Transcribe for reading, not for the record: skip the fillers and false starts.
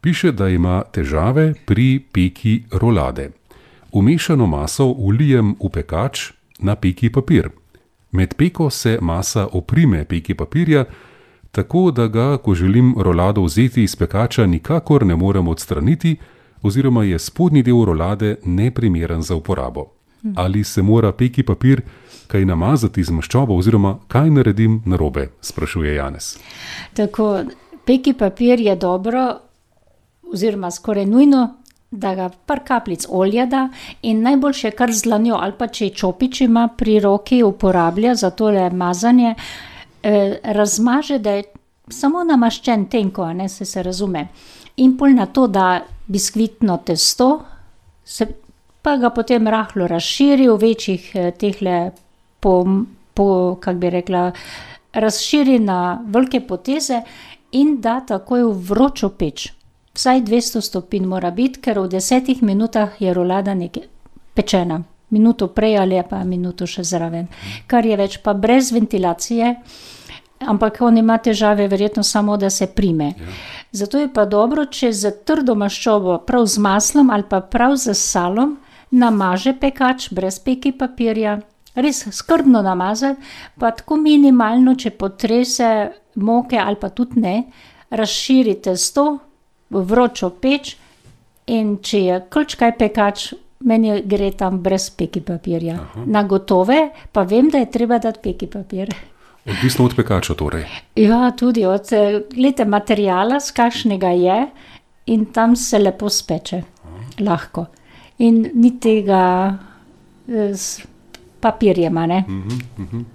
Piše, da ima težave pri peki rolade. Vmešano maso vlijem v pekač na peki papir. Med peko se masa oprime peki papirja, tako da ga, ko želim rolado vzeti iz pekača, nikakor ne morem odstraniti oziroma je spodnji del rolade neprimeren za uporabo. Ali se mora peki papir kaj namazati z maščobo oziroma kaj naredim narobe, sprašuje Janez. Tako, peki papir je dobro oziroma skoraj nujno, da ga par kapljic olja da in najboljše kar z dlanjo ali pa če čopič ima pri roki uporablja za tole mazanje, razmaže, da je samo namaščen tenko, se razume. In pol na to da biskvitno testo, pa ga potem rahlo razširi v večjih tehle kak bi rekla, razširi na velike poteze in da takoj v vročo peč. Vsaj 200 stopinj mora biti, ker v 10 minutah je rolada pečena. Minuto prej ali pa minuto še zraven. Kar je več pa brez ventilacije, ampak on ima težave verjetno samo, da se prime. Ja. Zato je pa dobro, če z trdo maščobo, prav z maslom ali pa prav z salom, namaže pekač brez peki papirja, res skrbno namazati, pa tako minimalno, če potrese moke ali pa tudi ne, razširi testo v vročo peč in če je kulčkaj pekač, meni gre tam brez peki papirja. Aha. Na gotove pa vem, da je treba dati peki papir. Odvisno od pekača torej? Ja, tudi od materijala, z kakšnega je in tam se lepo speče. Lahko. In ni tega s papirjem, ne?